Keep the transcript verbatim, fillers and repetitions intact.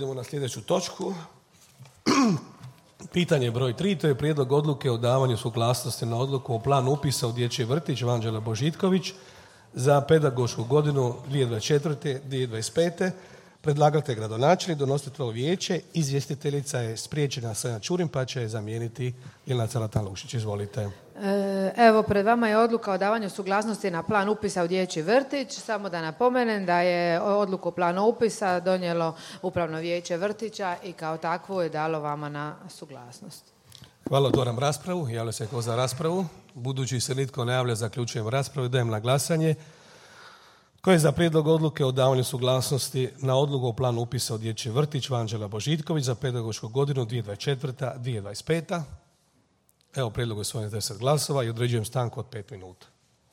Idemo na sljedeću točku. Pitanje broj tri, to je prijedlog odluke o davanju suglasnosti na odluku o planu upisa u dječji vrtić Vanđela Božitković za pedagošku godinu dvije tisuće dvadeset četvrte. dvije tisuće dvadeset pete. Predlagatelj gradonačelnik, donositelj vijeće, izvjestiteljica je spriječena Sanja Čurin, pa će je zamijeniti Ljiljana Carlatan-Lušić. Izvolite. Evo, pred vama je odluka o davanju suglasnosti na plan upisa u dječji vrtić. Samo da napomenem da je odluku o planu upisa donijelo Upravno vijeće vrtića i kao takvu je dalo vama na suglasnost. Hvala, otvaram raspravu. Javlja se ko za raspravu. Budući se nitko ne javlja, zaključujem raspravu i dajem na glasanje. Tko je za prijedlog odluke o davanju suglasnosti na odluku o planu upisa u dječji vrtić Vanđela Božitković za pedagošku godinu dvije tisuće dvadeset četvrte. dvije tisuće dvadeset peta. Evo, prijedlog je usvojen s deset glasova i određujem stanku od pet minuta.